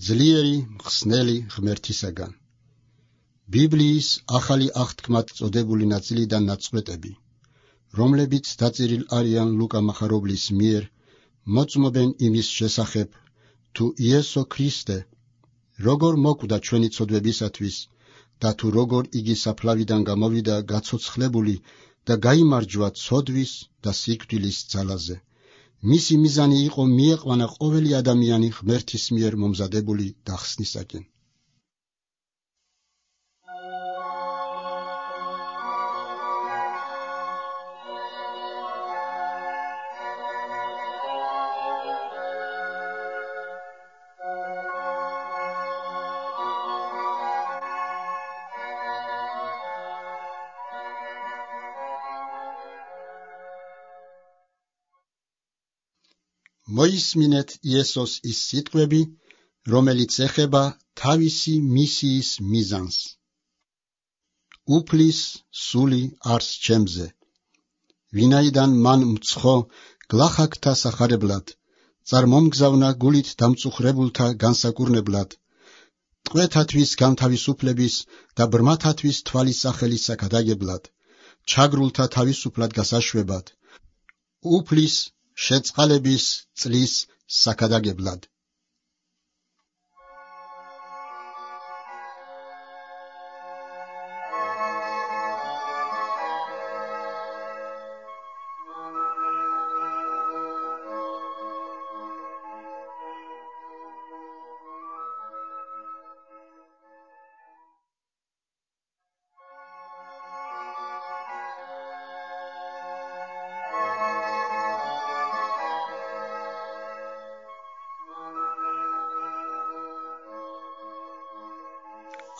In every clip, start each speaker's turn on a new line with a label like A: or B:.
A: ძლიერი მხსნელი ღმერთისაგან. ბიბლიის ახალი აღთქმად წოდებული ნაწილიდან ნაწყვეტები, რომლებიც დაწერილ არიან ლუკა მახარებლის მიერ, მოწმობენ იმის შესახებ, თუ იესო ქრისტე როგორ მოკვდა ჩვენი ცოდვებისათვის და თუ როგორ იგი საფლავიდან გამოვიდა გაცოცხლებული და გაიმარჯვა ცოდვის და სიკვდილის ძალაზე. მისი მიზანი იყო მიეყვანა ყოველი ადამიანი ღმერთის მიერ მომზადებული დახსნისაკენ. მოისმინეთ იესოს ის სიტყვები, რომელიც ეხება თავისი მისიის მიზანს. უფლის სული არს ჩემზე, ვინაიდან მან მცხო გლახაკთა სახარებლად, წარმომგზავნა გულით დამწუხრებულთა განსაკურნებლად, ტყვეთათვის განთავისუფლების და ბრმათათვის თვალის სახელის საკადაგებლად, ჩაგრულთა თავისუფლად გასაშვებად, უფლის შეწყალების წლის საკადაგებლად.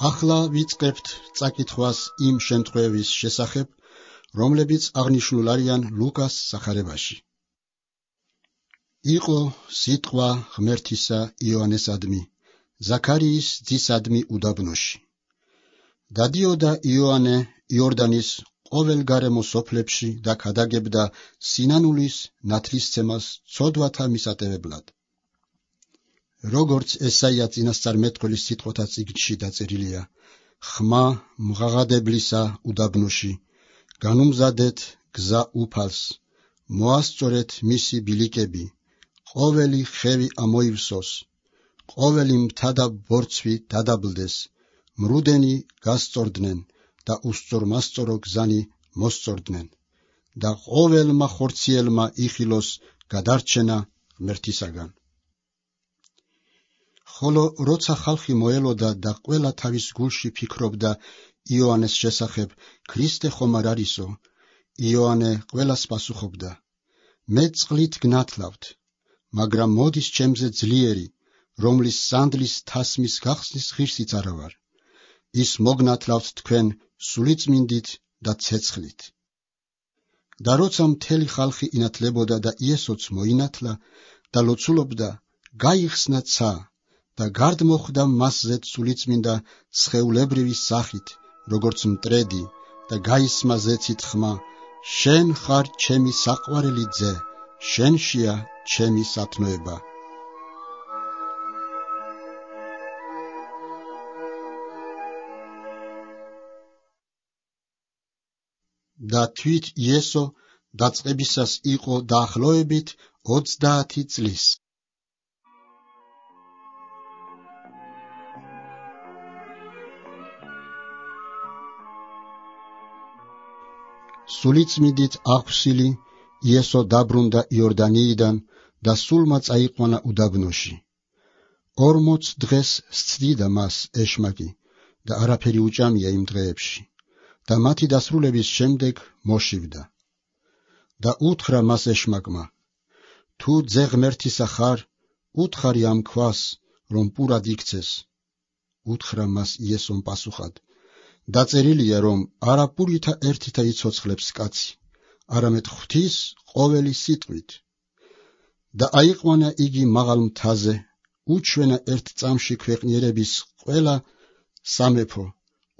A: ახლა ვიწყებთ წაკითხვას იმ შემთხვევების შესახებ, რომლებიც აღნიშნულ არიან ლუკას სახარებაში. იყო სიტყვა ღმერთისა იოანესადმი, ზაქარიის ძისადმი უდაბნოში. დადიოდა იოანე იორდანის ყოველ გარემო სოფლებში და ქადაგებდა სინანულის ნათლისცემას ცოდვათა მისატევებლად. როგორც ესაია წინასწარმეტყველის სიტყვათა წიგნში დაწერილია, ხმა მღაღადებლისა უდაბნოში, განუმზადეთ გზა უფალს, მოასწორეთ მისი ბილიკები, ყოველი ხევი ამოივსოს, ყოველი მთა და ბორცვი დადაბლდეს, მრუდენი გასწორდნენ და უსწორმასწორო გზანი მოსწორდნენ და ყოველმა ხორციელმა იხილოს გადარჩენა ღმერთისაგან. ხოლო როცა ხალხი მოელოდა და ყველა თავის გულში ფიქრობდა იოანეს შესახებ, ქრისტე ხომ არ არისო, იოანე ყველას პასუხობდა, მე წყლით გნათლავთ, მაგრამ მოდის ჩემზე ძლიერი, რომლის სანდლის თასმის გახსნის ღირსიც არა ვარ. ის მოგნათლავთ თქვენ სულიწმინდით და ცეცხლით. და როცა მთელი ხალხი ინათლებოდა და იესოც მოინათლა და ლოცულობდა, გაიხსნა ცა და გარდმოხვდა მასზე სულიწმინდა სხეულებრივი სახით, როგორც მტრედი, და გაისმა ზეცით ხმა, შენ ხარ ჩემი საყვარელი ძე, შენშია ჩემი სათნოება. და თვით იესო დაწყებისას იყო დაახლოებით 30 წლის. სულიწმიდით აღვსილი იესო დაბრუნდა იორდანიიდან და სულმა წაიყვანა უდაბნოში. 40 დღეს სცდიდა მას ეშმაკი და არაფერი უჭამია იმ დღეებში და მათი დასრულების შემდეგ მოშივდა. და უთხრა მას ეშმაკმა, თუ ძე ღმერთისა ხარ, უთხარი ამ ქვას, რომ პურად იქცეს. უთხრა მას იესომ პასუხად, დაწერილია, რომ არა პურითა ერთითა იცოცხლებს კაცი, არამედ ღვთის ყოველი სიტყვით. და აიყვანა იგი მაღალ მთაზე, უჩვენა ერთ წამში ქვეყნიერების ყველა სამეფო.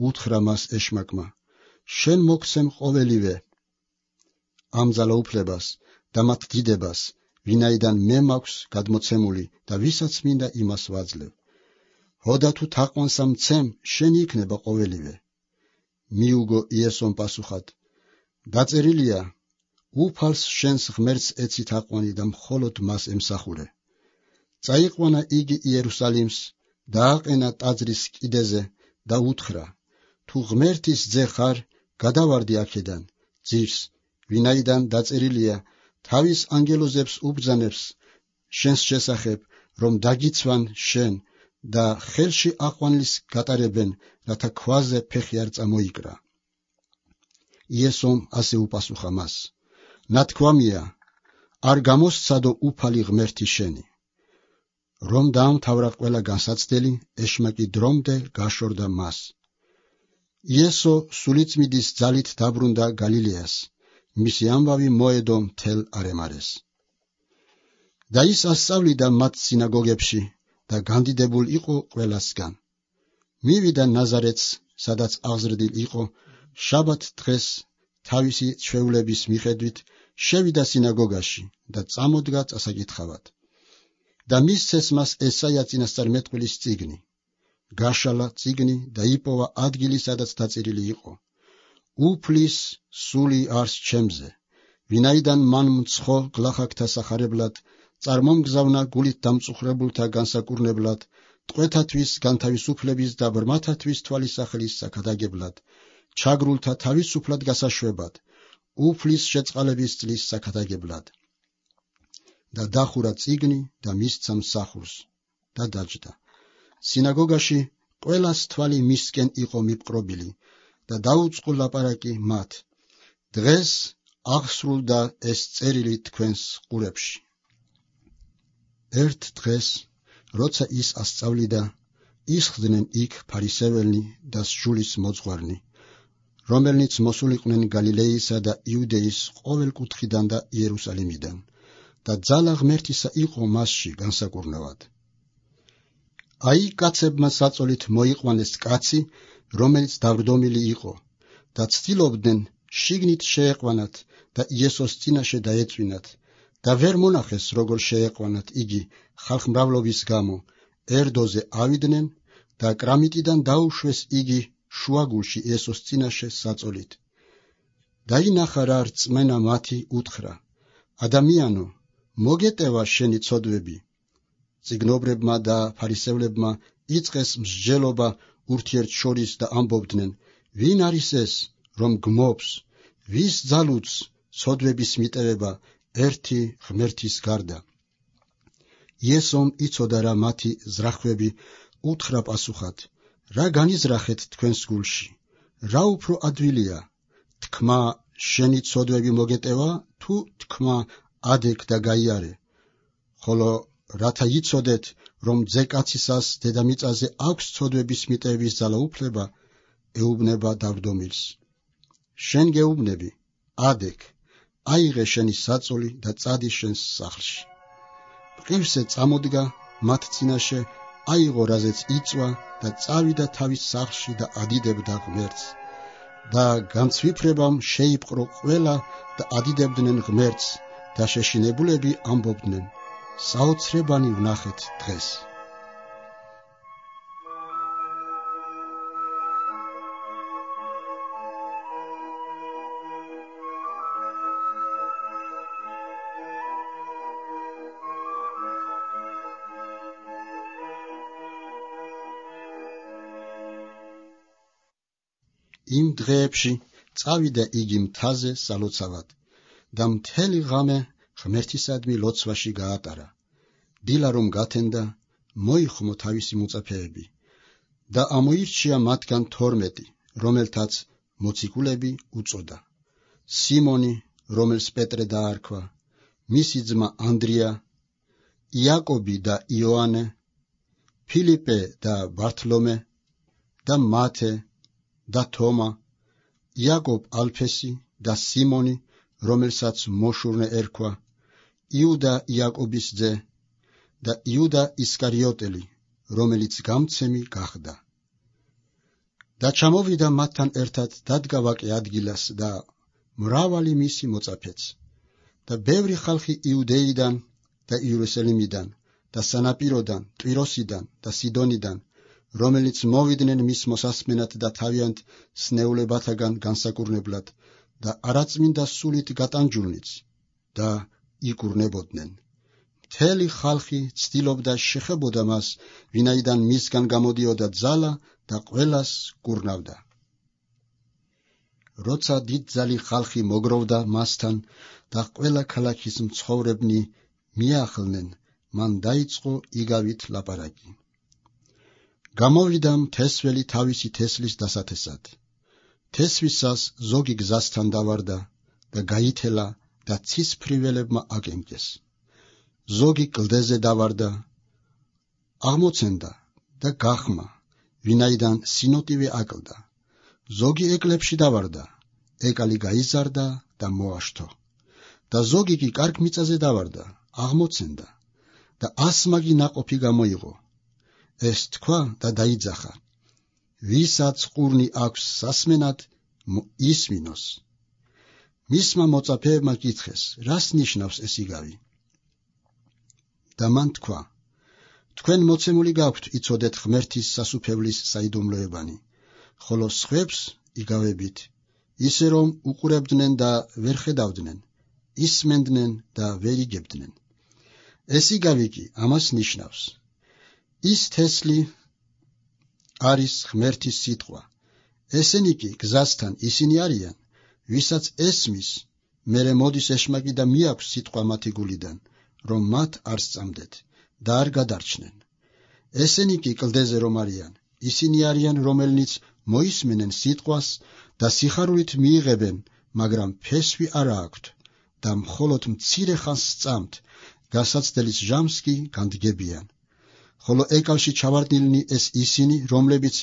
A: უთხრა მას ეშმაკმა, შენ მოგცემ ყოველივე, ამ ძალაუფლებას და მათ დიდებას, ვინაიდან მე მაქვს გადმოცემული და ვისაც მინდა იმას ვაძლევ. ჰოდა თუ თაყვანსა მცემ, შენი იქნება ყოველივე. მიუგო იესომ პასუხად, დაწერილია, უფალს შენს ღმერთს ეცი თაყვანი და მხოლოდ მას ემსახურე. წაიყვანა იგი იერუსალიმს, დააყენა ტაძრის კიდეზე და უთხრა, თუ ღმერთის ძე ხარ, გადავარდი აქედან, ძირს, ვინაიდან დაწერილია, თავის ანგელოზებს უბრძანებს შენს შესახებ, რომ დაგიცვან შენ და ხელში აყვანილს გატარებენ, რათა ქვაზე ფეხი არ წამოიკრა. იესომ ასე უპასუხა მას, ნათქვამია, არ გამოსცადო უფალი ღმერთი შენი. რომ დაამთავრა ყველა განსაცდელი, ეშმაკი დრომდე გაშორდა მას. იესო სულიწმიდის ძალით დაბრუნდა გალილეას, მისი ამბავი მოედო მთელ არემარეს. და ის ასწავლიდა მათ სინაგოგებში და განდიდებულ იყო ყველასგან. მივიდა ნაზარეთს, სადაც აღზრდილ იყო, შაბათ დღეს თავისი ჩვეულების მიხედვით შევიდა სინაგოგაში და წამოდგა წასაკითხავად. და მისცეს მას ესაია წინასწარმეტყველის წიგნი. გაშალა წიგნი და იპოვა ადგილი, სადაც დაწერილი იყო, უფლის სული არს ჩემზე, ვინაიდან მან მცხო გლახაკთა სახარებლად, წარმომგზავნა გულით დამწუხრებულთა განსაკურნებლად, ტყვეთათვის განთავისუფლების და ბრმათათვის თვალისახელის საკადაგებლად, ჩაგრულთა თავისუფლად გასაშვებად, უფლის შეწყალების წლის საკადაგებლად. და დახურა წიგნი და მისცა მსახურს და დაჯდა. სინაგოგაში ყველას თვალი მისკენ იყო მიპყრობილი და დაუწყო ლაპარაკი მათ, დღეს აღსრულდა ეს წერილი თქვენს ყურებში. ერთ დღეს, როცა ის ასწავლიდა, ისხდნენ იქ ფარისეველნი და სჯულის მოძღვარნი, რომელნიც მოსულიყვნენ გალილეისა და იუდეის ყოველ კუთხიდან და იერუსალიმიდან, და ძალა ღმერთისა იყო მასში განსაკურნავად. აი კაცებმა საწოლით მოიყვანეს კაცი, რომელიც დავრდომილი იყო, და ცდილობდნენ შიგნით შეეყვანათ და იესოს წინაშე დაეწვინათ, და ვერ მონახეს როგორ შეეყვანათ იგი ხალხმრავლობის გამო, ერდოზე ავიდნენ და კრამიტიდან დაუშვეს იგი შუაგულში იესოს წინაშე საწოლით. დაინახა რა რწმენა მათი, უთხრა, ადამიანო, მოგეტევა შენი ცოდვები. წიგნობრებმა და ფარისევლებმა იწყეს მსჯელობა ურთიერთშორის და ამბობდნენ, ვინ არის ეს, რომ გმობს, ვის ძალუც ცოდვების მიტევება ერთი ღმერთის გარდა. იესომ იცოდა რა მათი ზრახვები, უთხრა პასუხად, რა განიზრახეთ თქვენს გულში, რა უფრო ადვილია, თქმა შენი ცოდვები მოგეტევა, თუ თქმა ადეკ და გაიარე, ხოლო რათა იცოდეთ, რომ ძეკაცისას დედამიწაზე აქვს ცოდვების მიტევების ძალაუფლება, ეუბნება დავრდომილს. შენ გეუბნები, ადეკ, აიღე შენი საწოლი და წადი შენს სახლში. მყივსე წამოდგა მათ წინაშე, აიღო რაზეც იწვა და წავიდა თავის სახლში და ადიდებდა ღმერთს. და განცვიფრებამ შეიპყრო ყველა და ადიდებდნენ ღმერთს და შეშინებულები ამბობდნენ, საოცრებანი ვნახეთ დღეს. იმ დღეებში წავიდა იგი მთაზე სალოცავად და მთელი ღამე ღმერთისადმი ლოცვაში გაატარა. დილა რომ გათენდა, მოიხმო თავისი მოწაფეები და ამოირჩია მათგან 12, რომელთაც მოციქულები უწოდა. სიმონი, რომელს პეტრე დაარქვა, მისი ძმა ანდრია, იაკობი და იოანე, ფილიპე და ბართლომე და მათე და თომა, იაკობ ალფესი და სიმონი, რომელსაც მოშურნე ერქვა, იუდა იაკობის ძე და იუდა ისკარიოტელი, რომელიც გამცემი გახდა. და ჩამოვიდა მათთან ერთად დადგა ვაკე ადგილას და მრავალი მისი მოწაფეც. და ბევრი ხალხი იუდეიდან და იერუსალიმიდან და სანაპიროდან, ტვიროსიდან და სიდონიდან, რომელიც მოვიდნენ მის მოსასმენად და თავიანთ სნეულებათაგან განსაკურნებლად და არაწმინდა სულით გატანჯულნიც და იკურნებოდნენ. მთელი ხალხი ცდილობდა შეხებოდა მას, ვინაიდან მისგან გამოდიოდა ძალა და ყველას კურნავდა. როცა დიდძალი ხალხი მოგროვდა მასთან და ყველა ქალაქის მცხოვრებნი მიახლნენ, მან დაიწყო იგავით ლაპარაკი. გამოვიდა მთესველი თავისი თესლის დასათესად. თესვისას ზოგი გზასთან დავარდა და გაითელა და ცისფრიველებმა აკენკეს. ზოგი კლდეზე დავარდა, აღმოცენდა და გახმა, ვინაიდან სინოტივე აკლდა. ზოგი ეკლებში დავარდა, ეკალი გაიზარდა და მოაშთო. და ზოგი კი კარგ მიწაზე დავარდა, აღმოცენდა და ასმაგი ნაყოფი გამოიღო. ეს თქვა და დაიძახა, ვისაც ყურნი აქვს სასმენად, ისმინოს. მისმა მოწაფეებმა კითხეს, რას ნიშნავს ეს იგავი? და მან თქვა, თქვენ მოცემული გაქვთ იცოდეთ ღმერთის სასუფევლის საიდუმლოებანი, ხოლო სხვებს იგავებით, ისე რომ უყურებდნენ და ვერ ხედავდნენ, ისმენდნენ და ვერ იგებდნენ. ეს იგავი კი ამას ნიშნავს. ის თესლი არის ღმერთის სიტყვა. ესენი კი გზასთან ისინი არიან, ვისაც ესმის, მერე მოდის ეშმაკი და მიაქვს სიტყვა მათი გულიდან, რომ მათ არ სწამდეთ და არ გადარჩნენ. ესენი კი კლდეზე რომ არიან, ისინი არიან, რომელნიც მოისმენენ სიტყვას და სიხარულით მიიღებენ, მაგრამ ფესვი არა აქვთ და მხოლოდ მცირე ხანს სწამთ, გასაცდელის ჟამს კი განდგებიან. ხოლო ეკალში ჩავარდნილნი ეს ისინი, რომლებიც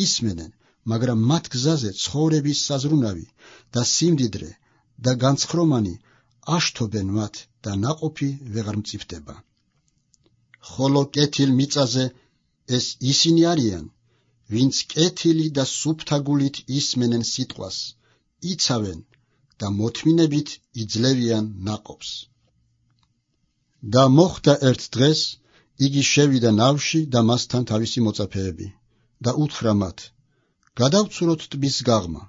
A: ისმენენ, მაგრამ მათ გზაზე ცხოვრების საზრუნავი და სიმდიდრე და განცხრომანი აშთობენ მათ და ნაყოფი ვეღარ მწიფდება. ხოლო კეთილ მიწაზე ეს ისინი არიან, ვინც კეთილი და სუფთაგულით ისმენენ სიტყვას, იცავენ და მოთმინებით იძლევიან ნაყოფს. და მოხდა ერთ დღეს, იგი შევიდა ნავში და მასთან თავისი მოწაფეები და უთხრა მათ, გადავცუროთ ტბის გაღმა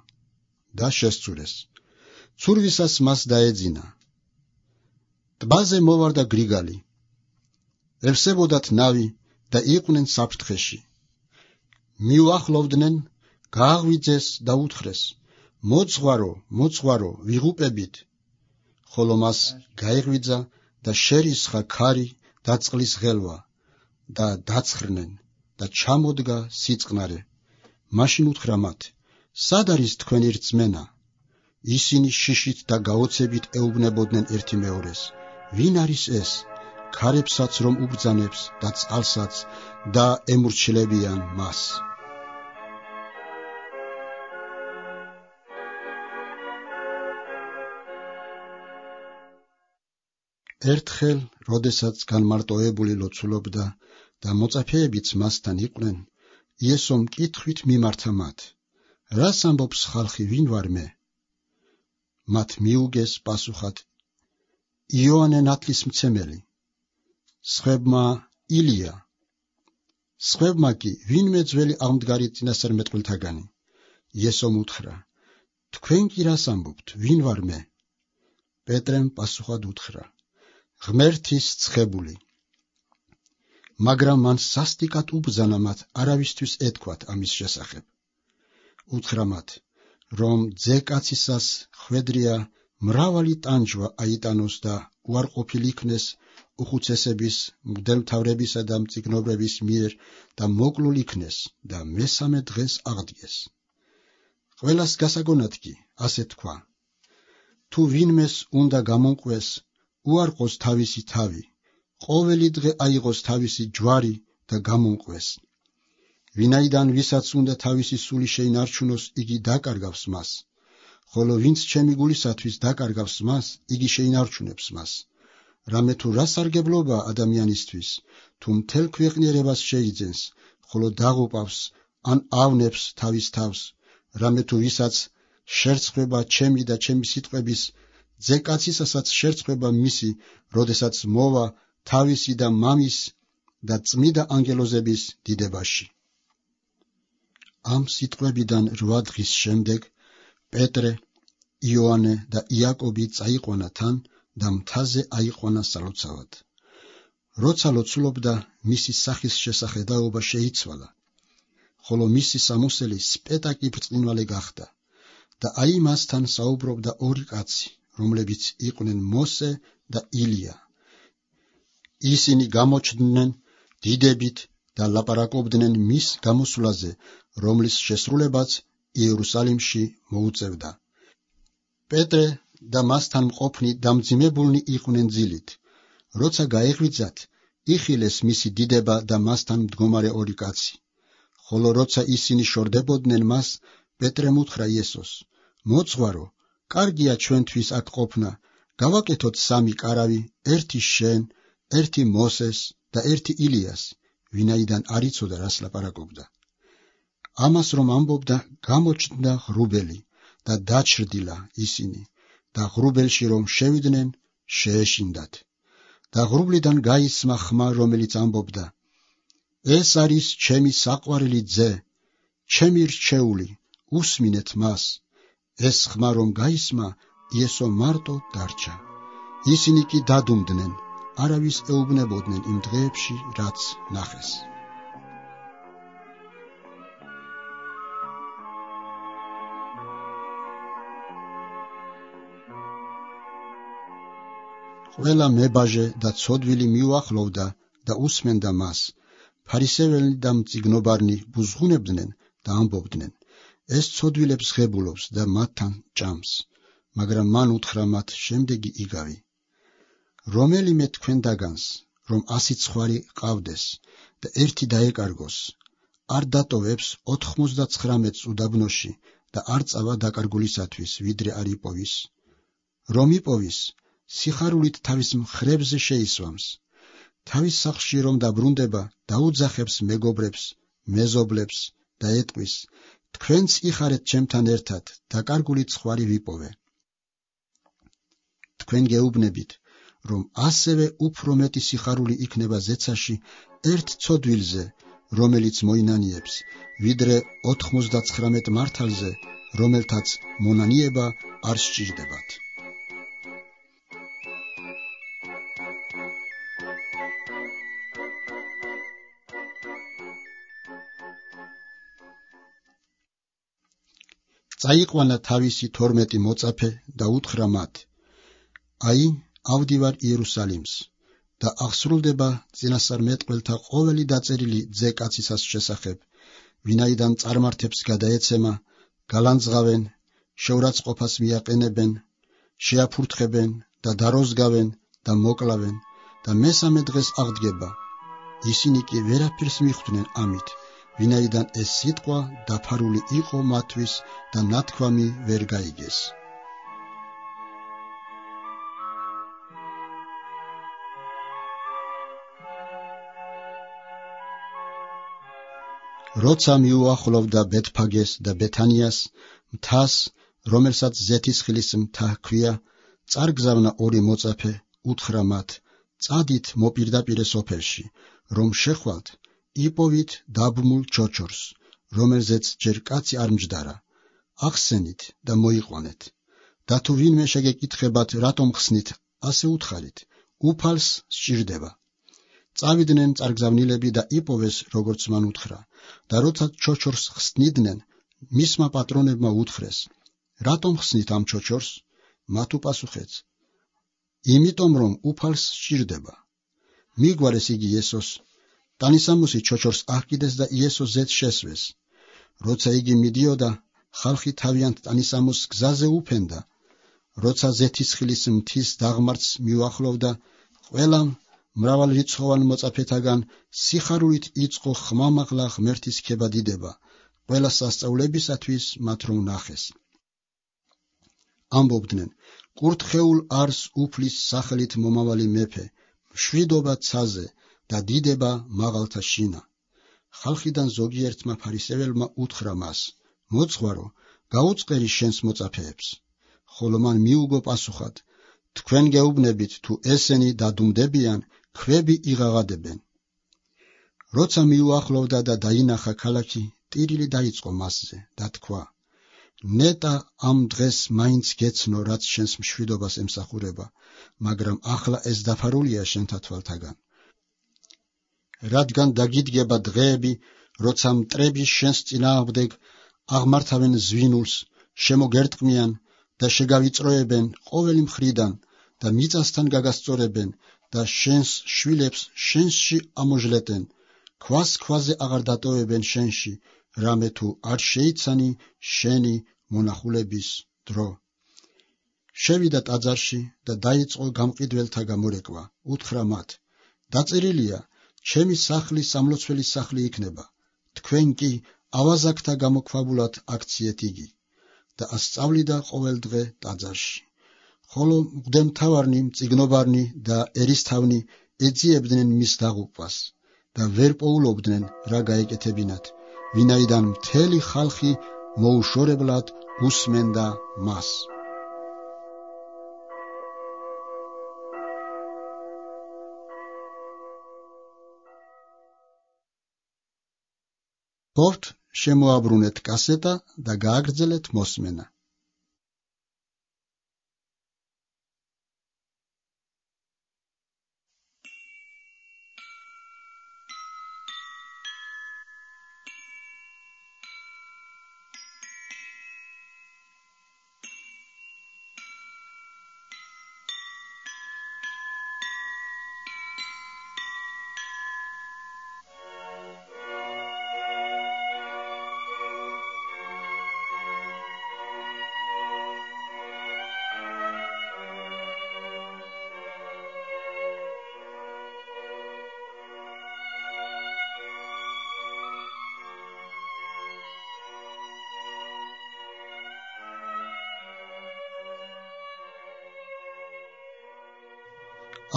A: და შესცურეს. ცურვისას მას დაეძინა. ტბაზე მოვარდა გრიგალი. ევსებოდათ ნავი და იყვნენ საფრთხეში. მიუახლოვდნენ, გააღვიძეს და უთხრეს, მოძღვარო, მოძღვარო, ვიღუპებით. ხოლო მას გაეღვიძა და შერისხა ქარი და წყლის ღელვა და დაცხრნენ და ჩამოდგა სიწყნარე. მაშინ უთხრა მათ, სად არის თქვენი რწმენა? ისინი შიშით და გაოცებით ეუბნებოდნენ ერთი მეორეს, ვინ არის ეს, ქარებსაც რომ უბრძანებს და წყალსაც და ემურჩილებიან მას. ერთხელ, როდესაც განმარტოებული ლოცულობდა და მოწაფეებიც მასთან იყვნენ, იესომ კითხვით მიმართა მათ, რას ამბობს ხალხი, ვინ ვარ მე? მათ მიუგეს პასუხად, იოანე ნათლისმცემელი, სხვებმა ილია, სხვებმა კი ვინმე ძველი აღმდგარი წინასწარმეტყველთაგანი. იესომ უთხრა, თქვენ კი რას ამბობთ, ვინ ვარ მე? პეტრემ პასუხად უთხრა, ღმერთის ცხებული. მაგრამ მან სასტიკად უბრძანა მათ არავისთვის ეთქვათ ამის შესახებ. უთხრა მათ, რომ ძეკაცისას ხვედრია მრავალი ტანჯვა აიტანოს და უარყოფილ იქნეს უხუცესების, მღვდელმთავრებისა და მწიგნობრების მიერ და მოკლულ იქნეს და მესამე დღეს აღდგეს. ყველას გასაგონად კი ასე თქვა, თუ ვინმეს უნდა გამონყვეს, უარყოს თავისი თავი, ყოველი დღე აიღოს თავისი ჯვარი და გამონყვეს. ვინაიდან ვისაც უნდა თავისი სული შეინარჩუნოს, იგი დაკარგავს მას, ხოლო ვინც ჩემი გულისათვის დაკარგავს მას, იგი შეინარჩუნებს მას. რამე თუ რა სარგებლობა ადამიანისთვის, თუ მთელ ქვეყნიერებას შეიძენს, ხოლო დაღუპავს ან ავნებს თავის თავს, რამე თუ ვისაც შერცხვება ჩემი და ჩემი სიტყვების, ძეკაცისასაც შერცხვება მისი, როდესაც მოვა თავისი და მამის და წმიდა ანგელოზების დიდებაში. ამ სიტყვებიდან 8 დღის შემდეგ პეტრე, იოანე და იაკობი წაიყვანა თან და მთაზე აიყვანა სალოცავად. როცა ლოცულობდა, მისი სახის შესახედაობა შეიცვალა, ხოლო მისი სამოსელი სპეტაკი ბრწყინვალე გახდა და აი მასთან საუბრობდა 2 კაცი, რომლებიც იყვნენ მოსე და ილია. ისინი გამოჩნდნენ დიდებით და ლაპარაკობდნენ მის გამოსვლაზე, რომლის შესრულებაც იერუსალიმში მოუწევდა. პეტრე და მასთან მყოფნი დამძიმებულნი იყვნენ ძილით. როცა გაეღვიძათ, იხილეს მისი დიდება და მასთან მდგომარე 2 კაცი. ხოლო როცა ისინი შორდებოდნენ მას, პეტრემ უთხრა იესოს: მოძღვარო, კარგია ჩვენთვის აქ ყოფნა, გავაკეთოთ 3 კარავი, ერთი შენ, ერთი მოსეს და ერთი ილიას, ვინაიდან არ იცოდა რას ლაპარაკობდა. ამას რომ ამბობდა, გამოჩნდა ღრუბელი და დაჩრდილა ისინი და ღრუბელში რომ შევიდნენ, შეეშინდათ. და ღრუბლიდან გაისმა ხმა, რომელიც ამბობდა: ეს არის ჩემი საყვარელი ძე, ჩემი რჩეული, უსმინეთ მას. ეს ხმა რომ გაისმა, იესო მარტო დარჩა. ისინი კი დადუმდნენ, არავის ეუბნებოდნენ იმ დღეებში, რაც ნახეს. ყველა მებაჟე და ცოდვილი მიუახლოვდა და უსმენდა მას. ფარისეველი და მწიგნობარნი ბუზღუნებდნენ და ამბობდნენ: ეს ცოდვილებს ღებულობს და მათთან ჭამს. მაგრამ მან უთხრა მათ შემდეგი იგავი: რომელიმე თქვენ დაგანს, რომ 100 ცხვარი ყავდეს და ერთი დაეკარგოს, არ დატოვებს 99 უდაბნოში და არ წავა დაკარგულისათვის, ვიდრე არ იპოვის? რომ იპოვის, სიხარულით თავის მხრებზე შეისვამს. თავის სახლში რომ დაბრუნდება, დაუძახებს მეგობრებს, მეზობლებს და ეტყვის: თქვენც იხარეთ ჩემთან ერთად, დაკარგული ცხვარი ვიპოვე. თქვენ გეუბნებით, რომ ასევე უფრო მეტი სიხარული იქნება ზეცაში ერთ ცოდვილზე, რომელიც მოინანიებს, ვიდრე 99 მართალზე, რომელთაც მონანიება არ სჭირდებათ. წაიყვანა თავისი 12 მოწაფე და უთხრა მათ: აი, ავდივარ იერუსალიმს და აღსრულდება წინასწარმეტყველთა ყოველი დაწერილი ძე კაცისას შესახებ, ვინაიდან წარმართებს გადაეცემა, გალანძღავენ, შეურაცხყოფას მიაყენებენ, შეაფურთხებენ და დაროზგავენ და მოკლავენ და მესამე დღეს აღდგება. ისინი კი ვერაფერს მიხვდნენ ამით, ვინაიდან ეს სიტყვა დაფარული იყო მათთვის და ნათქვამი ვერ გაიგეს. როცა მიუახლოვდა ბეთფაგეს და ბეთანიას, მთას, რომელსაც ზეთისხილის მთა ჰქვია, წარგზავნა 2 მოწაფე, უთხრა მათ: წადით მოპირდაპირე სოფელში, რომ შეხვალთ, იპოვით დაბმულ ჩოჩორს, რომელზეც ჯერ კაცი არ მჯდარა. ახსენით და მოიყვანეთ. და თუ ვინმე შეგეკითხებათ, რატომ ხსნით, ასე უთხარით: უფალს სჭირდება. წავიდნენ წარგზავნილები და იპოვეს, როგორც მან უთხრა. და როცა ჩოჩორს ხსნიდნენ, მისმა პატრონებმა უთხრეს: რატომ ხსნით ამ ჩოჩორს? მათ უპასუხეს: იმიტომ რომ უფალს სჭირდება. მიგვარეს იგი იესოს. ტანისამოსი ჩოჩორს აჰკიდეს და იესოს ზედ შესვეს. როცა იგი მიდიოდა, ხალხი თავიანთ ტანისამოსს გზაზე უფენდა. როცა ზეთისხილის მთის დაღმართს მიუახლოვდა, ყველამ მრავალრიცხოვან მოწაფეთაგან სიხარულით იწყო ხმამაღლა ღმერთის ქება დიდება, ყველა სასწაულებისათვის მათ რომ ნახეს. ამბობდნენ: კურთხეულ არს უფლის სახელით მომავალი მეფე, მშვიდობა ცაზე და დიდება მაღალთა შინა. ხალხიდან ზოგიერთმა ფარისეველმა უთხრა მას: მოძღვარო, გაუწყერი შენს მოწაფეებს. ხოლო მან მიუგო პასუხად: თქვენ გეუბნებით, თუ ესენი დადუმდებიან, ქვები იღაღადებენ. როცა მიუახლოვდა და დაინახა ქალაქი, ტირილი დაიწყო მასზე და თქვა: ნეტა ამ დღეს მაინც გეცნო, რაც შენს მშვიდობას ემსახურება, მაგრამ ახლა ეს დაფარულია შენთა თვალთაგან. რადგან დაგიდგება დღეები, როცა მტრები შენს წინააღმდეგ აღმართავენ ზვინულს, შემოგერტყმიან და შეგავიწროებენ ყოველი მხრიდან და მიწასთან გაგასწორებენ და შენს შვილებს შენსში ამოჟლეტენ, ქვას ქვაზე აღარ დატოვებენ შენში, რამე თუ არ შეიცანი შენი მონახულების დრო. შევიდა ტაძარში და დაიწყო გამყიდველთა გამორეკვა. უთხრა მათ: დაწერილია, ჩემი სახლი სამლოცველის სახლი იქნება, თქვენ კი ავაზაკთა გამოქვაბულად აქციეთ იგი. და ასწავლიდა ყოველდღე ტაძარში. ხოლო მღვდელმთავარნი, მწიგნობარნი და ერისთავნი ეძიებდნენ მის დაღუპვას და ვერ პოულობდნენ რა გაეკეთებინათ, ვინაიდან მთელი ხალხი მოუშორებლად უსმენდა მას. ბობთ შემოაბრუნეთ კასეტა და გააგრძელეთ მოსმენა.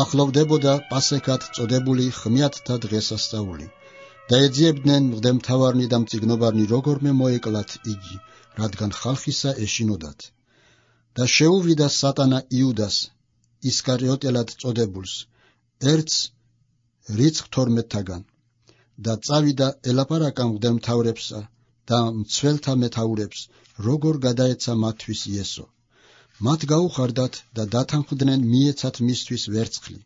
A: ახლოვდებოდა პასექად წოდებული ხმიათთა დღესასწაული და ეძიებდნენ მღვდელმთავარნი და მწიგნობარნი როგორმე მოეკლათ იგი, რადგან ხალხისა ეშინოდათ. და შეუვიდა სატანა იუდას, ისკარიოტელად წოდებულს, ერთს რიცხვ 12-თაგან და წავიდა ელაპარაკა მღვდელმთავრებსა და მცველთა მეთაურებს, როგორ გადაეცა მათთვის იესო. მათ გაუხარდათ და დათანხმდნენ მიეცათ მისთვის ვერცხლი.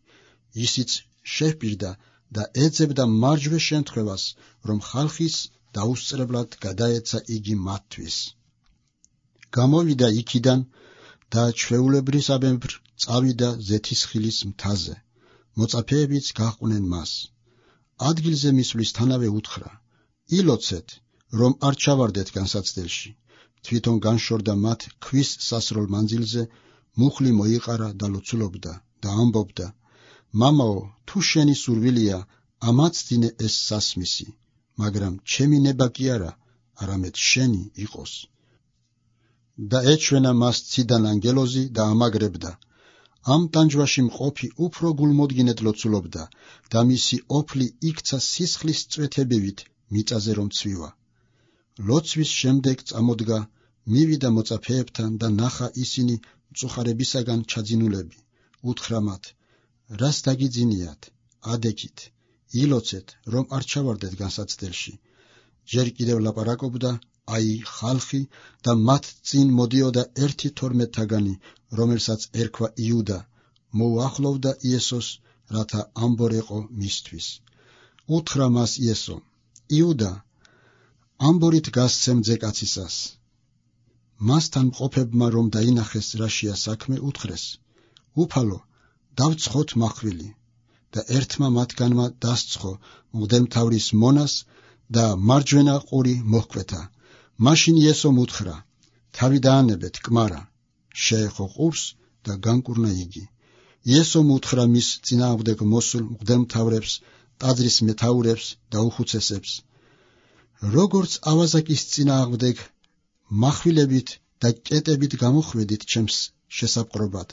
A: ისიც შეჰპირდა და ეძებდა მარჯვე შემთხვევას, რომ ხალხის დაუსწრებლად გადაეცა იგი მათთვის. გამოვიდა იქიდან და ჩვეულებრისამებრ წავიდა ზეთისხილის მთაზე. მოწაფეებიც გაჰყვნენ მას. ადგილზე მისვლისთანავე უთხრა: ილოცეთ, რომ არ ჩავარდეთ განსაცდელში. თვითონ განშორდა მათ ქვის სასროლ მანძილზე, მუხლი მოიყარა და ლოცულობდა და ამბობდა: მამაო, თუ შენი სურვილია, ამაცდინე ეს სასმისი, მაგრამ ჩემი ნება კი არა, არამედ შენი იყოს. და ეჩვენა მას ციდან ანგელოზი და ამაგრებდა. ამ ტანჯვაში მყოფი უფრო გულმოდგინედ ლოცულობდა და მისი ოფლი იქცა სისხლის წვეთებივით მიწაზე რომ ცვივა. ლოცვის შემდეგ წამოდგა, მივიდა მოწაფეებთან და ნახა ისინი მწუხარებისაგან ჩაძინულები. უთხრა მათ: რას დაგიძინიათ? ადექით, ილოცეთ, რომ არ ჩავარდეთ განსაცდელში. ჯერ კიდევ ლაპარაკობდა, აი ხალხი და მათ წინ მოდიოდა ერთი 12-თაგანი, რომელსაც ერქვა იუდა, მოუახლოვდა იესოს, რათა ამბორეყო მისთვის. უთხრა მას იესო: იუდა, ამბორით გასცემ ძეკაცისას. მასთან მყოფებმა რომ დაინახეს რაშია საქმე, უთხრეს: უფალო, დავცხოთ მახვილი. და ერთმა მათგანმა დასცხო მღვდელმთავრის მონას და მარჯვენა ყური მოჰკვეთა. მაშინ იესომ უთხრა: თავი დაანებეთ, კმარა. შეეხო ყურს და განკურნა იგი. იესომ უთხრა მის წინააღმდეგ მოსულ მღვდელმთავრებს, ტაძრის მეთაურებს და უხუცესებს: როგორც ავაზაკის წინააღმდეგ מחვილებით და კეტებით გამოხვედით ჩემს შესაპყრობად,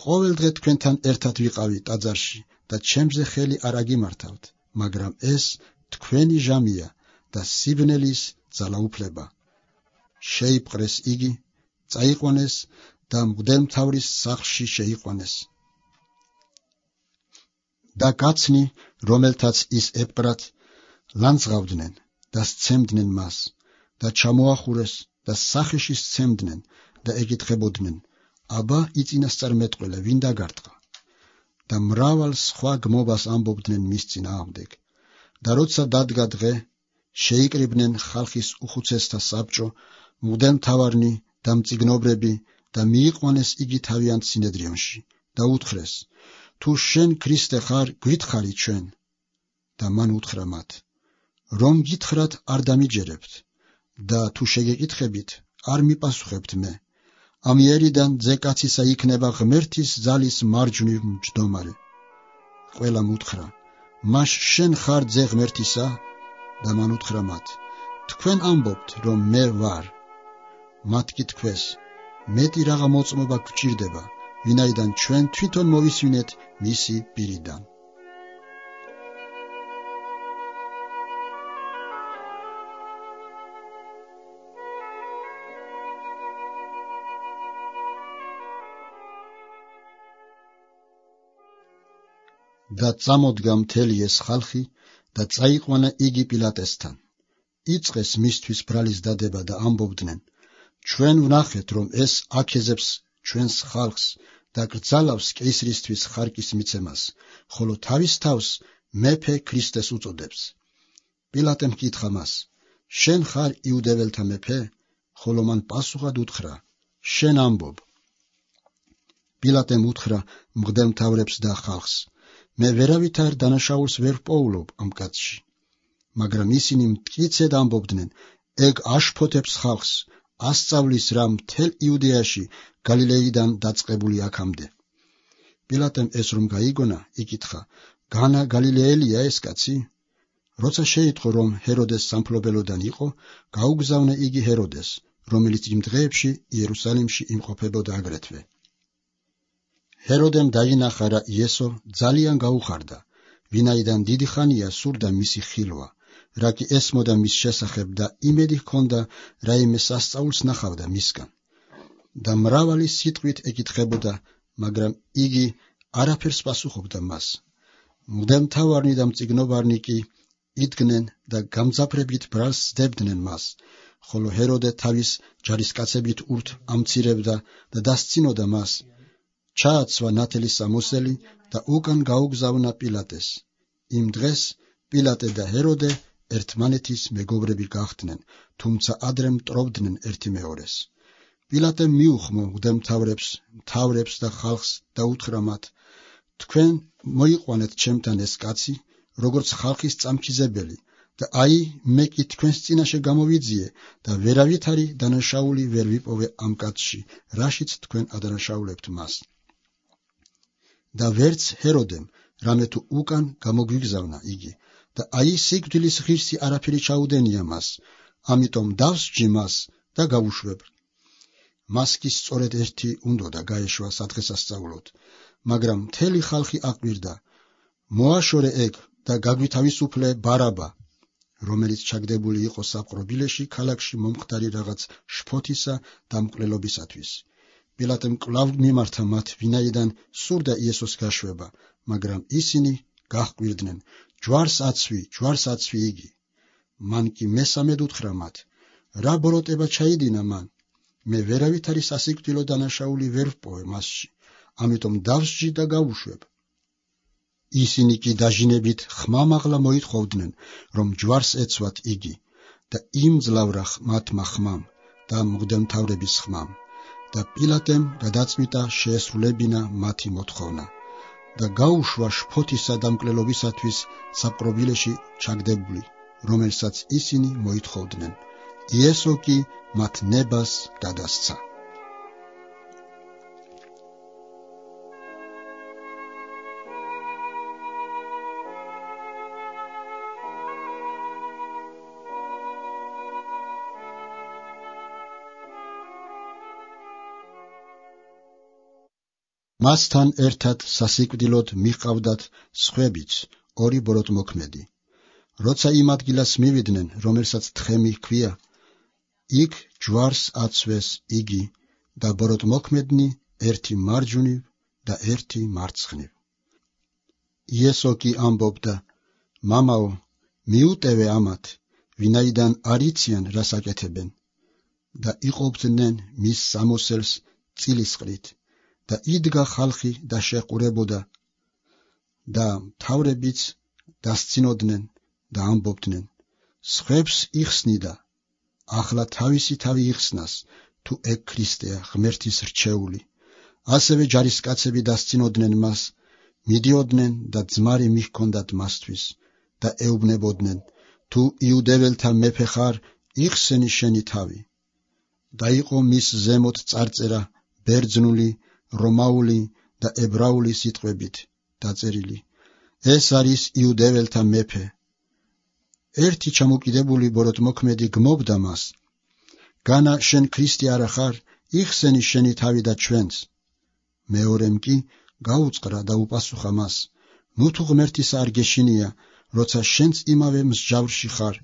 A: ყოველდღე თქვენთან ერთად ვიყავი ტაძარში და ჩემზე ხელი არ აგიმართავთ, მაგრამ ეს თქვენი ჟამია და სიბნელის ძალაუფლება. შეიპყრეს იგი, წაიყვანეს და მღვდელმთავრის სახლში შეიყვანეს. და კაცნი, რომელთაც ის ეპყრათ, ლანძღავდნენ და სცემდნენ მას და ჩამოახურეს და სახეში სცემდნენ და ეკითხებოდნენ, აბა იწინასწარმეტყველე ვინ დაგარტყა? და მრავალ სხვა გმობას ამბობდნენ მის წინააღმდეგ. და როცა დადგა დღე, შეიკრიბნენ ხალხის უხუცესთა საბჭო, მღვდელმთავარნი და მწიგნობრები და მიიყვანეს იგი თავიანთ სინედრიონში და უთხრეს, თუ შენ ქრისტე ხარ, გვითხარი ჩვენ. და მან უთხრა მათ, რომ გითხრათ არ დამიჯერებთ და თუ შეგეკითხებით, არ მიპასუხებთ მე. ამიერიდან ძე კაცისა იქნება ღმერთის ძალის მარჯვნივ მჯდომარე. ყველამ უთხრა, მაშ შენ ხარ ძე ღმერთისა? და მან უთხრა მათ, თქვენ ამბობთ, რომ მე ვარ. მათ კი თქვეს, მეტი რაღა მოწმობა გვჭირდება, ვინაიდან ჩვენ თვითონ მოვისვინეთ მისი პირიდან. და წამოდგა მთელი ეს ხალხი და წაიყვანა იგი პილატესთან. იწყეს მისთვის ბრალის დადება და ამბობდნენ, ჩვენ ვნახეთ, რომ ეს აქეზებს ჩვენს ხალხს და კრძალავს კეისრისთვის ხარკის მიცემას, ხოლო თავის თავს მეფე ქრისტეს უწოდებს. პილატემ ჰკითხა მას, შენ ხარ იუდეველთა მეფე? ხოლო მან პასუხად უთხრა, შენ ამბობ. პილატემ უთხრა მღვდელმთავრებს და ხალხს, მე ვერავითარ დანაშაულს ვერ ვპოულობ ამ კაცში. მაგრამ ისინი მტკიცედ ამბობდნენ, ეგ აშფოთებს ხალხს, ასწავლის რა მთელ იუდეაში, გალილეიდან დაწყებული აქამდე. პილატემ ეს რომ გაიგონა, იკითხა, განა გალილეელია ეს კაცი? როცა შეიტყო, რომ ჰეროდეს სამფლობელოდან იყო, გაუგზავნა იგი ჰეროდეს, რომელიც იმ დღეებში იერუსალიმში იმყოფებოდა აგრეთვე. ჰეროდემ დაინახა, რა იესო ძალიან გაუხარდა, ვინაიდან დიდი ხანია სურდა მისი ხილვა, რა კი ესმოდა მის შესახებ და იმედი ჰქონდა, რაიმე სასწაულს ნახავდა მისგან. და მრავალი სიტყვით ეკითხებოდა, მაგრამ იგი არაფერს პასუხობდა მას. მღვდელმთავარნი და მწიგნობარნი კი იდგნენ და გამძაფრებით ბრალს სდებდნენ მას, ხოლო ჰეროდე თავის ჯარისკაცებით ურთ ამცირებდა და დასცინოდა მას. ჩააცვა ნათელი სამოსელი და უკან გაუგზავნა პილატეს. იმ დღეს პილატე და ჰეროდე ერთმანეთის მეგობრები გახდნენ, თუმცა ადრე მტრობდნენ ერთი მეორეს. პილატემ მიუხმო მღვდელმთავრებს, მთავრებს და ხალხს და უთხრა მათ, თქვენ მოიყვანეთ ჩემთან ეს კაცი, როგორც ხალხის წამქიზებელი, და აი მე კი თქვენს წინაშე გამოვიძიე და ვერავითარი დანაშაული ვერ ვიპოვე ამ კაცში, რაშიც თქვენ ადანაშაულებთ მას. და ვერც ჰეროდემ რამე თუ უკან გამოგვიგზავნა იგი, და აი სიკვდილის ღირსი არაფერი ჩაუდენია მას, ამიტომ დავსჯი მას და გავუშვებ. მას კი სწორედ ერთი უნდოდა გაეშვა სადღესასწაულოდ, მაგრამ მთელი ხალხი აკვირდა, მოაშორე ეგ და გაგვითავისუფლე ბარაბა, რომელიც ჩაგდებული იყო საპყრობილეში ქალაქში მომხდარი რაღაც შფოთისა და მკვლელობისათვის. პილატემ კვლავ მიმართა მათ, ვინაიდან სურდა იესოს გაშვება, მაგრამ ისინი გაჰყვირდნენ, ჯვარს აცვი იგი. მან კი მესამედ უთხრა მათ, რა ბოროტება ჩაიდინა მან? მე ვერავითარი სასიკვდილო დანაშაული ვერ ვპოვე მასში, ამიტომ დავსჯი და გავუშვებ. ისინი კი დაჟინებით ხმამაღლა მოითხოვდნენ, რომ ჯვარს ეცვათ იგი, და იმძლავრა მათმა ხმამ და მღვდელმთავრების ხმამ. და პილატემ გადაწყვიტა შეესრულებინა მათი მოთხოვნა და გაუშვა შფოთისა და მკვლელობისათვის საპყრობილეში ჩაგდებული, რომელსაც ისინი მოითხოვდნენ. იესო კი მათ ნებას გადასცა. მასთან ერთად სასიკვდილოდ მიჰყავდათ სხვებიც, ორი ბოროტმოქმედი. როცა იმ ადგილას მივიდნენ, რომელსაც თხემი ჰქვია, იქ ჯვარს აცვეს იგი და ბოროტმოქმედნი ერთი მარჯვნივ და ერთი მარცხნივ. იესო კი ამბობდა, მამაო, მიუტევე ამათ, ვინაიდან არ იციან რას აკეთებენ და იყოფდნენ მის სამოსელს წილისყრით და იდგა ხალხი და შეყურებოდა და მთავრებიც დასცინოდნენ და ამბობდნენ, სხვებს იხსნიდა, ახლა თავისი თავი იხსნას, თუ ეგ ქრისტეა, ღმერთის რჩეული. ასევე ჯარისკაცები დასცინოდნენ მას, მიდიოდნენ და ძმარი მიჰქონდათ მასთვის და ეუბნებოდნენ, თუ იუდეველთა მეფე ხარ, იხსენი შენი თავი. და იყო მის ზემოთ წარწერა ბერძნული, რომაული და ებრაული სიტყვებით დაწერილი. ეს არის იუდეველთა მეფე. ერთი ჩამოკიდებული ბოროტმოქმედი გმობდა მას, განა შენ ქრისტე არა ხარ, იხსენი შენი თავი და ჩვენც. მეორემ კი გაუწყრა და უპასუხა მას, ნუ თუ ღმერთისა არ გეშინია, როცა შენც იმავე მსჯავრში ხარ,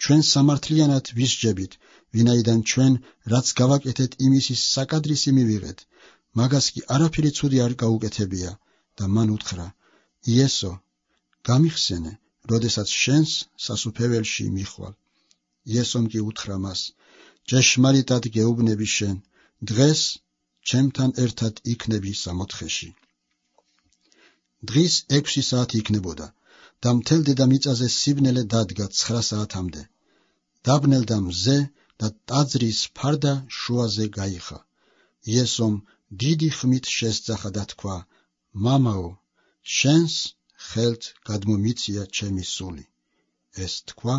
A: ჩვენ სამართლიანად ვისჯებით, ვინაიდან ჩვენ რაც გავაკეთეთ იმისის საკადრისი მივიღეთ, მაგას კი არაფერი ცუდი არ გაუკეთებია. და მან უთხრა, იესო, გამიხსენე, როდესაც შენს სასუფეველში მიხვალ. იესომ კი უთხრა მას, ჭეშმარიტად გეუბნები შენ, დღეს ჩემთან ერთად იქნები სამოთხეში. დღის 6 საათი იქნებოდა და მთელ დედამიწაზე სიბნელე დადგა 9 საათამდე. დაბნელდა მზე და ტაძრის ფარდა შუაზე გაიხა. იესომ დიდი ხმით შესძახა და თქვა, მამაო, შენს ხელთ გადმომიცია ჩემი სული. ეს თქვა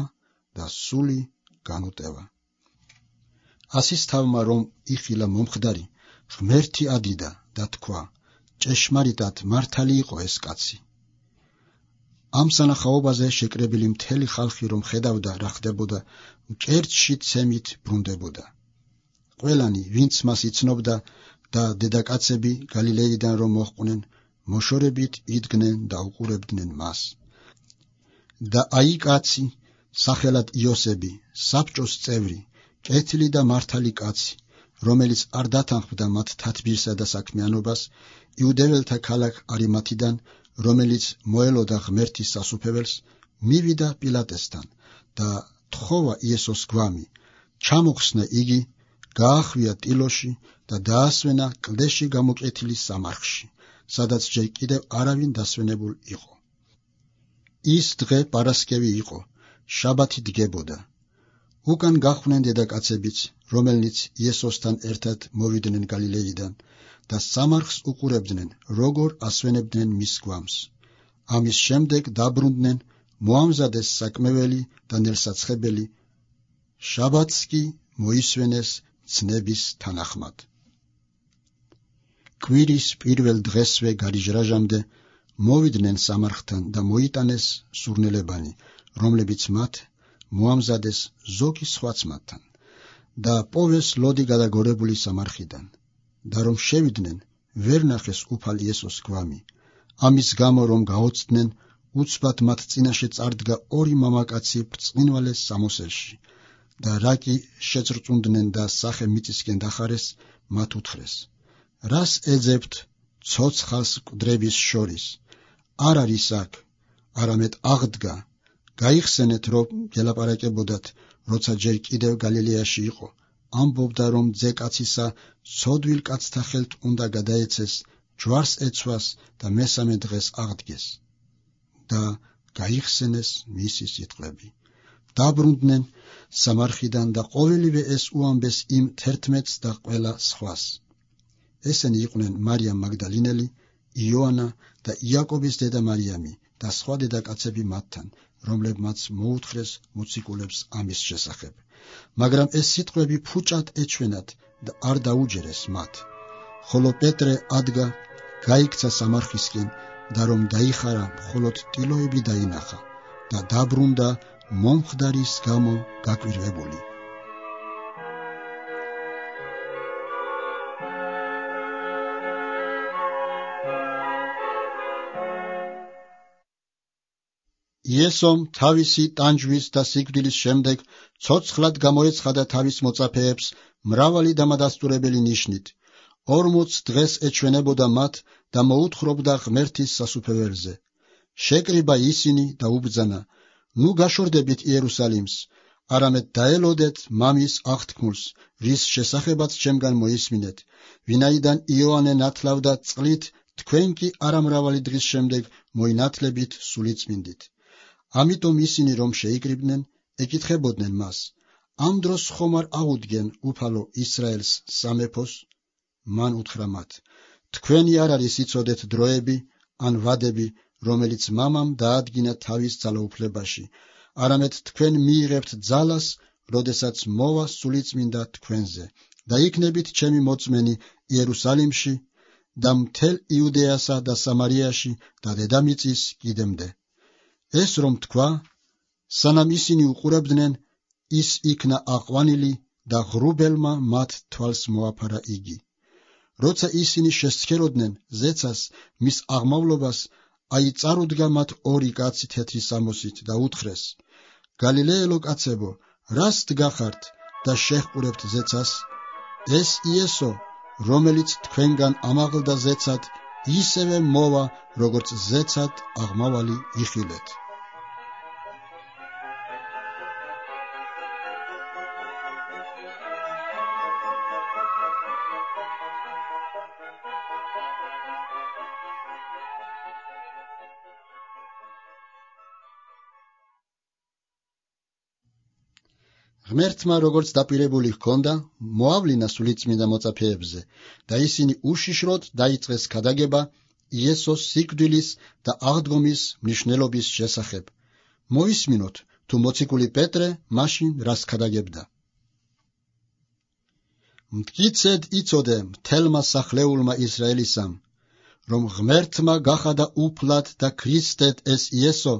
A: და სული განუტევა. ასის თავმა რომ იხილა მომხდარი, ღმერთი ადიდა და თქვა, ჭეშმარიტად მართალი იყო ეს კაცი. ამ სანახაობაზე შეკრებილი მთელი ხალხი რომ ხედავდა რა ხდებოდა, მკერდში ცემით ბრუნდებოდა. ყველანი, ვინც მას იცნობდა და დედაკაცები გალილეიდან რომ მოჰყვნენ, მოშორებით იდგნენ და უყურებდნენ მას. და აი კაცი, სახელად იოსები, საბჭოს წევრი, კეთილი და მართალი კაცი, რომელიც არ დათანხმდა მათ თათბირსა და საქმიანობას, იუდეველთა ქალაქ არიმათიდან, რომელიც მოელოდა ღმერთის სასუფეველს, მივიდა პილატესთან და თხოვა იესოს გვამი, ჩამოხსნა იგი, გაახვია ტილოში და დაასვენა კლდეში გამოკეთილი სამარხში, სადაც ჯერ კიდევ არავინ დასვენებულ იყო. ის დღე პარასკევი იყო, შაბათი დგებოდა. უკან გახვნენ დედაკაცებიც, რომელნიც იესოსთან ერთად მოვიდნენ გალილეიდან და სამარხს უყურებდნენ, როგორ ასვენებდნენ მის გვამს. ამის შემდეგ დაბრუნდნენ, მოამზადეს საკმეველი და ნელსაცხებელი, შაბათს კი მოისვენეს ცნების თანახმად. კვირის პირველ დღესვე გარიჟრაჟამდე მოვიდნენ სამარხთან და მოიტანეს სურნელებანი, რომლებიც მათ მოამზადეს ზოგი სხვაც მათთან და პოვეს ლოდი გადაგორებული სამარხიდან. და რომ შევიდნენ, ვერ ნახეს უფალ იესოს გვამი. ამის გამო რომ გაოცდნენ, უცბად მათ წინაშე წარდგა 2 მამაკაცი ბრწყინვალეს სამოსელში და რა კი შეწრწუნდნენ და სახე მიწისკენ დახარეს, მათ უთხრეს, რას ეძებთ ცოცხალს მკვდრების შორის? არ არის აქ, არამედ აღდგა, გაიხსენეთ, რომ გელაპარაკებოდათ, როცა ჯერ კიდევ გალილეაში იყო, ამბობდა, რომ ძე კაცისა ცოდვილ კაცთა ხელთ უნდა გადაეცეს, ჯვარს ეცვას და მესამე დღეს აღდგეს. და გაიხსენეს მისი სიტყვები. დაბრუნდნენ სამარხიდან და ყოველივე ეს უამბეს იმ 11-ს და ყველა სხვას. ესენი იყვნენ მარიამ მაგდალინელი, იოანა და იაკობის დედა მარიამი და სხვა დედაკაცები მათთან, რომლებმაც მოუთხრეს მოციქულებს ამის შესახებ. მაგრამ ეს სიტყვები ფუჭად ეჩვენათ და არ დაუჯერეს მათ. ხოლო პეტრე ადგა, გაიქცა სამარხისკენ და რომ დაიხარა, მხოლოდ ტილოები დაინახა და დაბრუნდა მომხდარის გამო გაკვირვებული. იესომ თავისი ტანჯვის და სიკვდილის შემდეგ ცოცხლად გამოეცხადა თავის მოწაფეებს მრავალი დამადასტურებელი ნიშნით. 40 დღეს ეჩვენებოდა მათ და მოუთხრობდა ღმერთის სასუფეველზე. შეკრიბა ისინი და უბრძანა, ნუ გაშორდებით იერუსალიმს, არამედ დაელოდეთ მამის აღთქმულს, რის შესახებაც ჩემგან მოისმინეთ, ვინაიდან იოანე ნათლავდა წყლით, თქვენ კი არამრავალი დღის შემდეგ მოინათლებით სულიწმინდით. ამიტომ ისინი რომ შეიკრიბნენ, ეკითხებოდნენ მას, ამ დროს ხომ არ აუდგენ უფალო ისრაელს სამეფოს? მან უთხრა მათ, თქვენი არ არის იცოდეთ დროები ან ვადები, რომელიც მამამ დაადგინა თავის ძალაუფლებაში, არამედ თქვენ მიიღებთ ძალას, როდესაც მოვა სულიწმინდა თქვენზე და იქნებით ჩემი მოწმენი იერუსალიმში და მთელ იუდეასა და სამარიაში და დედამიწის კიდემდე. ეს რომ თქვა, სანამ ისინი უყურებდნენ, ის იქნა აყვანილი და ღრუბელმა მათ თვალს მოაფარა იგი. როცა ისინი შესცქეროდნენ ზეცას მის აღმავლობას, წარუდგა მათ ორი კაცი თეთრი სამოსით და უთხრეს, გალილეელო კაცებო, რას დგახართ და შეჰყურებთ ზეცას? ეს იესო, რომელიც თქვენგან ამაღლდა ზეცად, ისევე მოვა, როგორც ზეცად აღმავალი იხილეთ. ღმერთმა როგორც დაპირებული ჰქონდა, მოავლინა სულიწმინდა მოწაფეებზე და ისინი უშიშროდ დაიწყეს ქადაგება იესოს სიკვდილის და აღდგომის მნიშვნელობის შესახებ. მოისმინოთ, თუ მოციქული პეტრე მაშინ რას ქადაგებდა. მტკიცედ იცოდე მთელმა სახლეულმა ისრაელისამ, რომ ღმერთმა გახადა უფლად და ქრისტედ ეს იესო,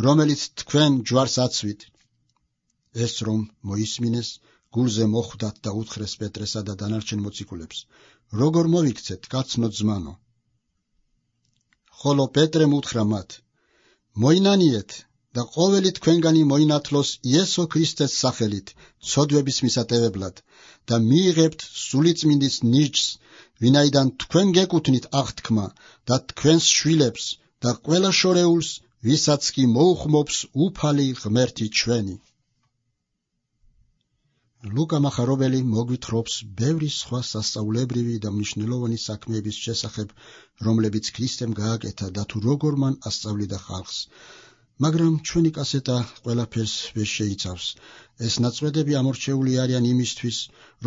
A: რომელიც თქვენ ჯვარს აცვით. ეს რომ მოისმინეს, გულზე მოხვდათ და უთხრეს პეტრესა და დანარჩენ მოციქულებს, როგორ მოვიქცეთ, კაცნო ძმანო? ხოლო პეტრემ უთხრა მათ, მოინანიეთ და ყოველი თქვენგანი მოინათლოს იესო ქრისტეს სახელით, ცოდვების მისატევებლად და მიიღებთ სულიწმინდის ნიჭს, ვინაიდან თქვენ გეკუთვნით აღთქმა და თქვენს შვილებს და ყველა შორეულს, ვისაც კი მოუხმობს უფალი ღმერთი ჩვენი. ლუკა მახარებელი მოგვითხრობს ბევრი სხვა სასწაულებრივი და მნიშვნელოვანი საქმეების შესახებ, რომლებიც ქრისტემ გააკეთა და თუ როგორ მან ასწავლიდა ხალხს. მაგრამ ჩვენი კასეტა ყველაფერს ვერ შეიცავს. ეს ნაწყვეტები ამორჩეული არიან იმისთვის,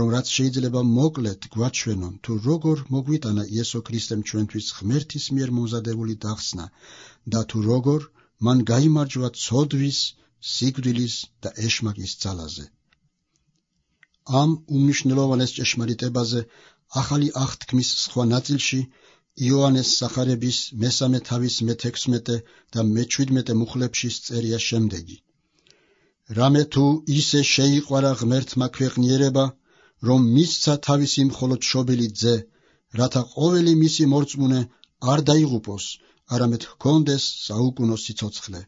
A: რომ რაც შეიძლება მოკლედ გვაჩვენონ, თუ როგორ მოგვიტანა იესო ქრისტემ ჩვენთვის ღმერთის მიერ მომზადებული დახსნა და თუ როგორ მან გაიმარჯვა ცოდვის, სიკვდილის და ეშმაკის ძალაზე. ამ უმნიშვნელოვანეს ჭეშმარიტებაზე ახალი აღთქმის სხვა ნაწილში იოანეს სახარების მესამე თავის მე-16 და მე-17 მუხლებში წერია შემდეგი. რამე თუ ისე შეიყვარა ღმერთმა ქვეყნიერება, რომ მისცა თავისი მხოლოდ შობილი ძე, რათა ყოველი მისი მორწმუნე არ დაიღუპოს, არამედ ჰქონდეს საუკუნო სიცოცხლე.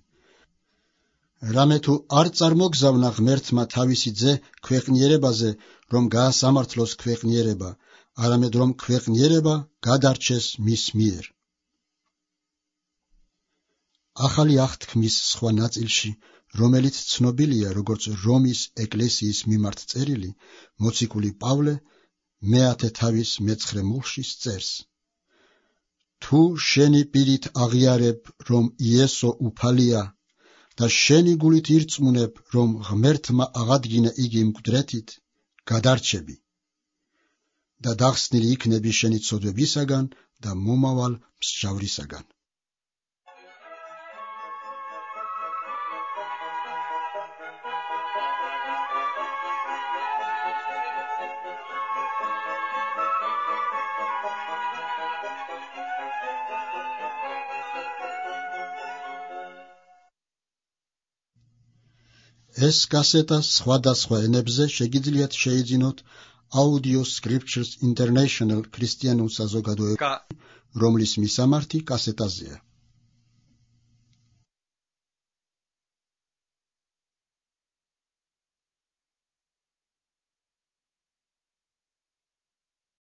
A: რამე თუ არ წარმოგზავნა ღმერთმა თავისი ძე ქვეყნიერებაზე, რომ გაასამართლოს ქვეყნიერება, არამედ რომ ქვეყნიერება გადარჩეს მის მიერ. ახალი აღთქმის სხვა ნაწილში, რომელიც ცნობილია როგორც რომის ეკლესიის მიმართ წერილი, მოციქული პავლე მე-10 თავის მე-9 მუხლში წერს. თუ შენი პირით აღიარებ, რომ იესო უფალია და შენი გულით ირწმუნებ, რომ ღმერთმა აღადგინა იგი მკვდრეთით, გადარჩები და დახსნილი იქნები შენი ცოდვებისაგან და მომავალ მსჯავრისაგან. ეს კასეტა სხვადასხვა ენებზე შეგიძლიათ შეიძინოთ Audio Scriptures International ქრისტიანულ საზოგადოებაში, რომლის მისამართი კასეტაზეა.